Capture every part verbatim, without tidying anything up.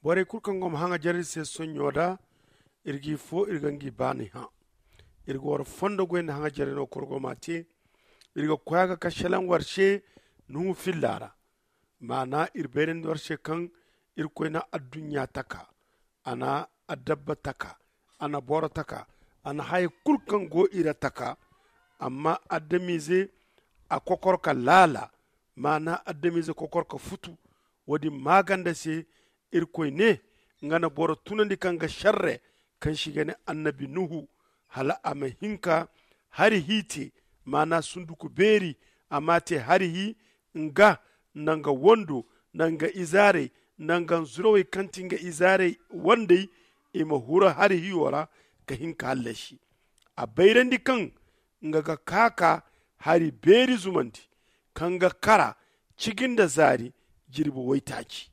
Borey kulu kaŋ go ma haŋajer iri se sonɲo da, iri g'i fo iri ga ngi baani hã. Iri ga war fondo goy nda haŋajer no korgo ma te. Iri ga koy a ga ka selaŋ war se nuhu filla ra. Maana iri bayrandi war se kaŋ iri koy na adduɲɲa taka, a na adabba taka, a na boro taka, a na haya kulu kaŋ go iri taka. Amma adamize a kokor ka laala, maana adamize kokor ka futu. Wo- din maaganda se iri koy ne nga na boro tunandi kaŋ ga šerre, kaŋ se i ga ne annabi nuhu, hala a ma hin ka hari hi te, maana sunduku beeri. A m'a te hari hi nga nda nga wando nda nga izaarey nda nga nzurawey kaŋ ti nga izaarey wandey, i ma huru hari hiyo ra ka hin ka hallasi. A bayrandi kaŋ nga ga ka ka hari beeri zumandi, kaŋ ga kara ciji nda zaari jirbi waytaaci,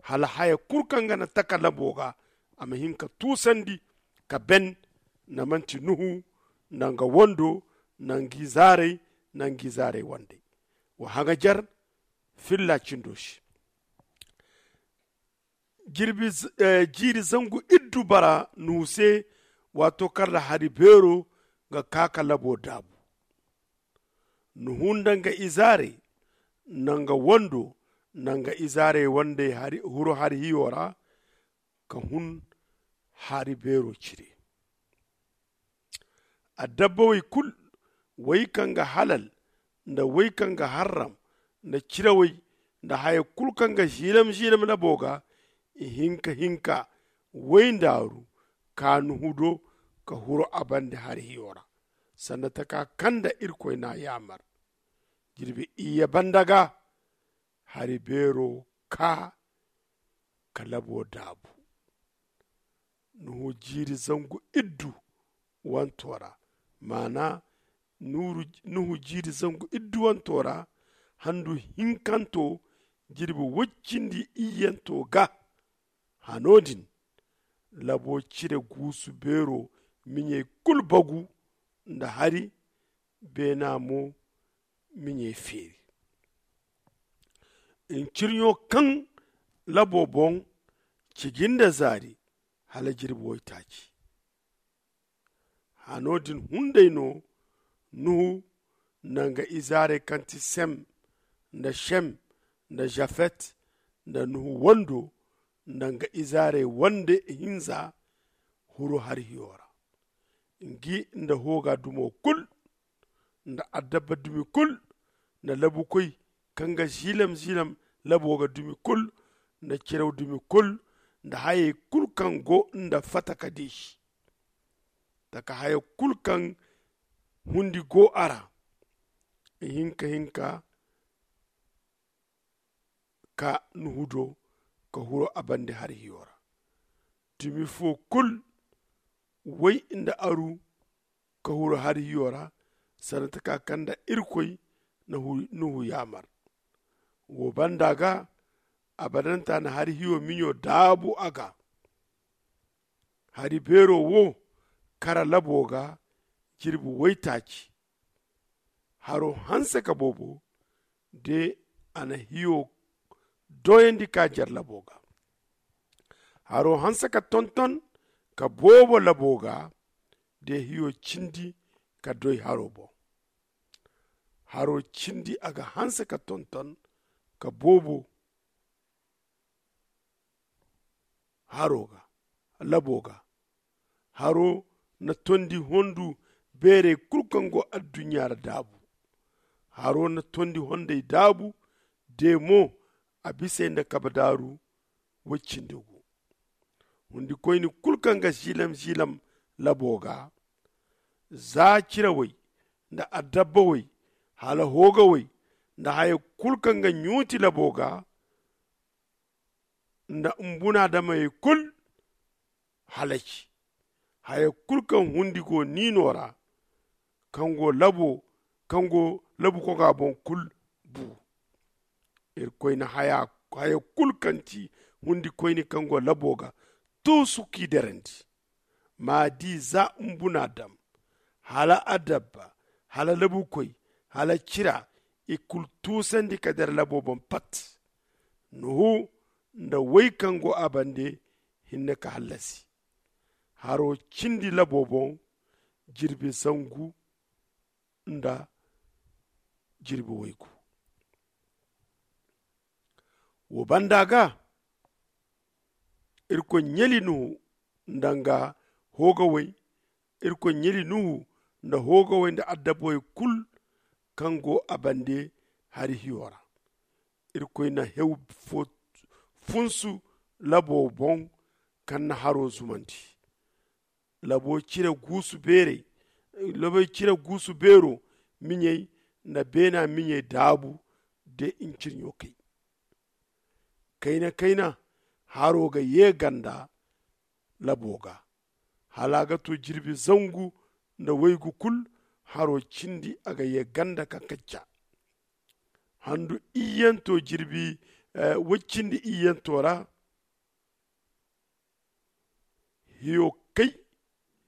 hala haya kulu kaŋ ga na taka labo ga a ma hin ka tuusandi ka ben. Nda manti nuhu nda nga wando nda nga izaarey nda nga izaarey wandey. Wa haŋajer filla cindo se. Jiiri zangu iddu bara nuhu se, waato kaŋ ra hari beero ga ka ka labo daabu. Nuhu nda nga izaarey nda nga wando nda nga izaarey wandey huru hari hiyo ra, ka hun hari beero cire. Adabbawey kulu, wey kaŋ ga halal nda wey kaŋ ga harram, nda cirawey nda haya kulu kaŋ ga ziilam-ziilam labo ga, i hinka-hinka wey ndaaru ka nuhu do ka huru a bande hari hiyo ra, sanda taka kaŋ nda irkoy n'a yaamar. Jirbi iyye banda ga hari beero ka ka labo daabu. Nuhu jiiri zangu iddu wanto ra, maana nuhu jiiri zangu iddu wanto ra, handu hinkanto jirbi woy cindi iyyanto ga. Hano din labo cire guusu beero miɲey kulu bagu nda hari beena mo miɲey feeri. Ncirɲo kaŋ labo boŋ ciji nda zaari hala jirbi waytaaci. Hano din hunday no nuhu nda nga izaarey kaŋ ti sem nda shem nda zafet nda nuhu wando nda nga izaarey wande hinza huru hari hiyo ra. Ngi nda hooga dumo kul nda adabba dumi kul nda labukoy kaŋ ga ziilam-ziilam labo ga dumi kul nda ciraw dumi kul nda hayey kul kaŋ go nda fata ka deesi taka haya kul kaŋ hundi go a ra. Ihinka-hinka ka nuhu do ka huru a bande hari hiyo ra. Dumi fo kul way nda aru ka huru hari hiyo ra, sanda taka kaŋ nda irkoy na nuhu yaamar. Wo banda ga abadantaana hari hiyo miɲo daabu a ga. Hari beero wo kara labo ga jirbi waytaaci. Haro hanse ka boobo de a na hiyo doyandi ka jar labo ga. Haro hanse ka tonton ka boobo labo ga de hiyo cindi ka doy haro boŋ. Haro cindi a ga hanse ka tonton ka boobo haro ga labo ga. Haro na tondi hondu beerey kulu kaŋ go adduɲɲa ra daabu. Haro na tondi hondey daabu de mo a bisey nda kabadaaru woy cindi gu. Hundikoyni kulu kaŋ ga ziilam-ziilam labo ga, za cirawey nda adabbawey hala hoogawey nda haya kulu kaŋ ga ɲuuti labo ga, nda mbunaadamey kul halaci. Haya kul kaŋ hundi go niino ra, kaŋ go labo kaŋ go labu koga boŋ kul bu. Irkoy na haya kul kaŋ ti hundi koyne kaŋ go labo ga tuusu k'i derandi. Ma di za mbunaadam hala adabba hala labukoy hala cira, i kulu tuusandi ka dira labo boŋ pat. Nuhu nda way kaŋ go a bande hinne ka hallasi. Haro cindi labo boŋ jirbi zangu nda jirbi waygu. Wo banda ga irkoy ɲali nuhu nda nga hoogawey. Irkoy ɲali nuhu nda hoogawey nda adabawey kulu kaŋ go a bande hari hiyo ra. Irkoy na hew fo funsu labo boŋ kaŋ na haro zumandi. Labo cire guusu beerey labo cire guusu beero miɲey nda beena miɲey daabu de ncirɲo kay. Kayna kayna haro ga ye ganda labo ga hala a ga to jirbi zangu nda waygu kulu. Haro cindi a ga ye ganda ka kacca handu iyyanto jirbi way cindi iyyanto ra.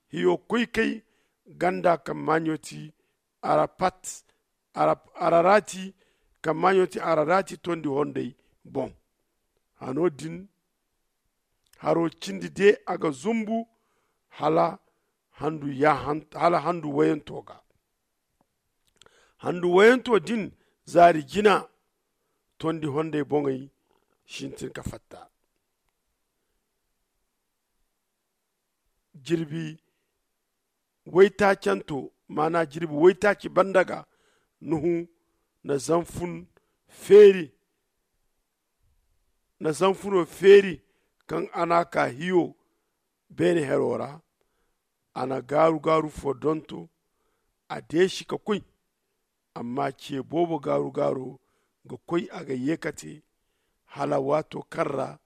Hiyo koy kay ganda kaŋ maaɲo ti arapat ararati kaŋ maaɲo ti ararati tondi hondey boŋ. Hano din haro cindi de a ga zumbu hala handu wayanto ga. Handu wayanto din zaari jina tondi hondey boŋey sintin ka fatta. Jirbi waytaacanto maana jirbi waytaaci banda ga nuhu na zanfun feeri na zanfuno feeri kaŋ a n'a ka hiyo beene hero ra. A na gaaru-gaaru fo donto a deesi ka koy. Amma ce boobo gaaru-gaaro ga koy a ga yeekate hala waato kaŋ ra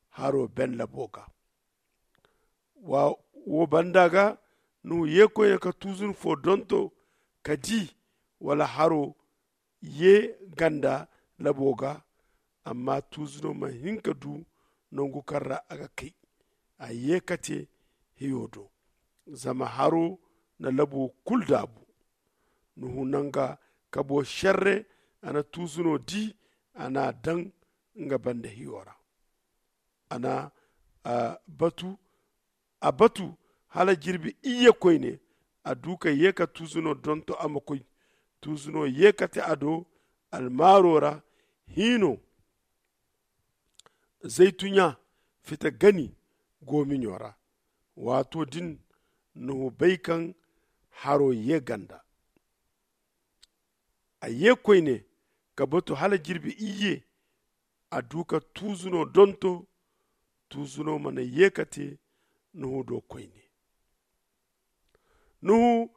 haro ben labo ga. Wo banda ga nuhu ye koyne ka tuuzun fo donto ka di wala haro ye ganda labo ga. Amma tuuzuno mana hin ka du nangu kaŋ ra a ga kay. A ye ka te hiyo do zama haro na labo kulu daabu. Nuhu na nga kabo serre a na tuuzuno di a n'a daŋ nga banda hiyo ra. A na a batu a batu hala jirbi iyye koyne a du ka ye ka tuuzuno donto a ma koy. Tuuzuno ye ka te a do almaaro ra hiino zaytuɲa fita gani goomiɲo ra. Waato din nuhu bay kaŋ haro ye ganda. A ye koyne ka batu hala jirbi iyye a du ka tuuzuno donto. Tuuzuno mana ye ka te nuhu do koyne. Nuhu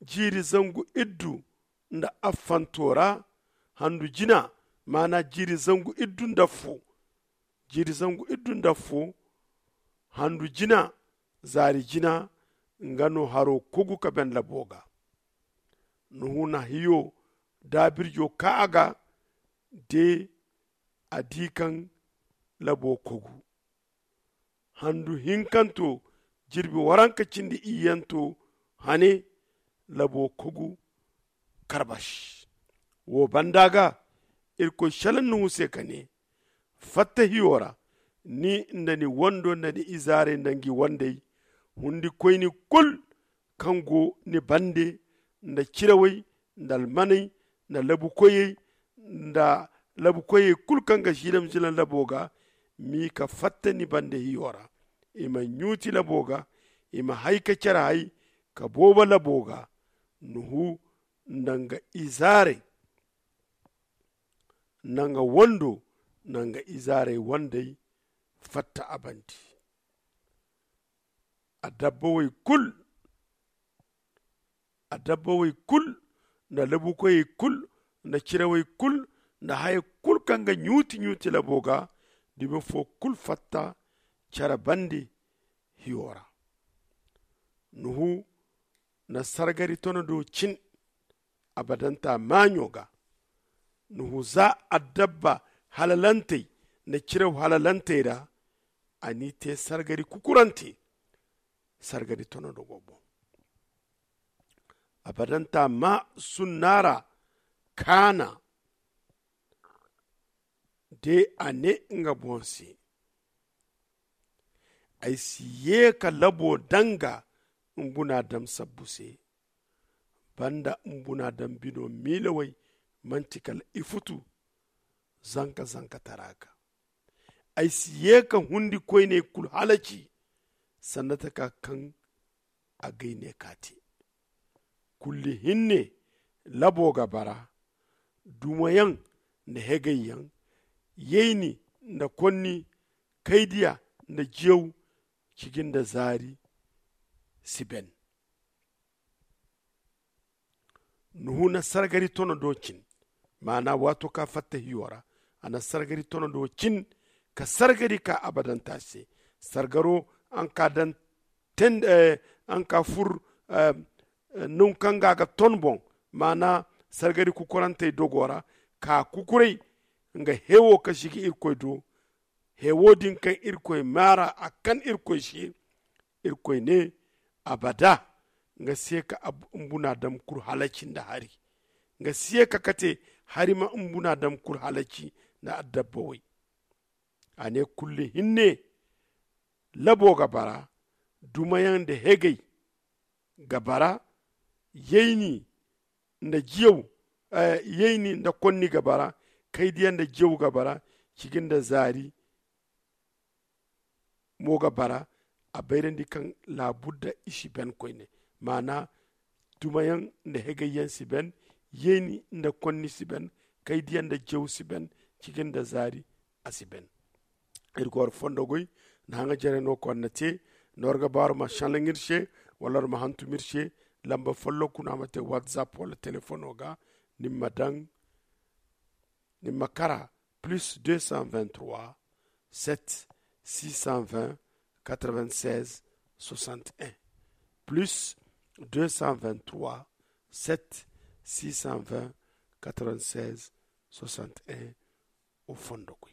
jiiri zangu iddu nda affanto ra handu jina maana jiiri zangu iddu nda affo. Jiiri zangu iddu nda affo handu jina zaari jina nga no haro kogu ka ben labo ga. Nuhu na hiyo daabirjo ka a ga de a di kaŋ labo kogu handu hinkanto jirbi waranka cindi iyyanto hane labo kogu karbas. Wo banda ga irkoy selaŋ nuhu se ka ne fatta hiyo ra ni nda ni wando nda ni izaarey nda ngi wandey hundikoyni kulu kaŋ go ni bande nda cirawey nda almaney nda labukoyey nda labukoyey kulu kaŋ ga zilam-zilam labo ga. M'i ka fatta ni bande hiyo ra i ma ɲuuti labo ga i ma hay ka care hay ka boobo labo ga. Nuhu nda nga izaarey nda nga wando nda nga izaarey wandey fatta a bande. Adabbawey kulu adabbawey kulu nda labukoyey kulu nda cirawey kulu nda haya kulu kaŋ ga ɲuuti-ɲuuti labo ga dumi fo kulu fatta care bande hiyo ra. Nuhu na sargari tono do cin abadanta maaɲo ga. Nuhu za addabba halalantey nda ciraw halalantey ra a n'i te sargari kukurante. Sargari tono do go boŋ abadanta ma sunna ra kaana De a ne nga boŋ se, ay si ye ka labo daŋ ga mbuna daŋ sabbu se. Banda mbuna daŋ bino miilawey manti kala ifutu zanka zanka tara ga. Ay si ye ka hundi koyney kulu halaci sanda taka kaŋ a gay ne ka te. Kulli hinne labo ga bara, dumayaŋ nda hegayyaŋ, yayni nda konni, kaydiya nda jiyaw, ciji nda zaari si ben. Nuhu na sargari tono do cin, maana waato ka fatta hiyo ra, a na sargari tono do cin ka sargari ka abadanta se. Sargaro an ka daŋ ten an ka fur nunkaŋ ga ga ton boŋ, maana sargari kukurantey dogo ra ka kukuray nga hewo ka sigi irkoy do. Hewo din kaŋ irkoy maara a kan irkoy se, irkoy ne, abada nga se ka mbuna daŋ kulu halaci nda hari. Nga se ka kate hari ma mbuna daŋ kulu halaci nda adabba way. A ne kulli hinne labo ga bara, dumayaŋ nda hegay ga bara, yayni nda jiyaw, yayni nda konni ga bara, kaydiya nda jiyaw ga bara, ciji nda zaari mo ga bara. A bayrandi kaŋ laabudda i si ben koyne, maana dumayaŋ nda hegayyaŋ si ben, yayni nda konni si ben, kaydiya nda jiyaw si ben, ciji nda zaari a si ben. Iri ga war fondo goy nda haŋa jare no konna te. Nda war ga ba war ma sannaŋ iri se wala war ma hantum iri se, lamba folloku no a ma te whatsapp wala telefono ga. Ni ma daŋ ni ma kara plus deux cent vingt-trois sept six cent vingt quatre-vingt-seize soixante-un, plus deux cent vingt-trois sept six cent vingt quatre-vingt-seize soixante-un. O fondo koy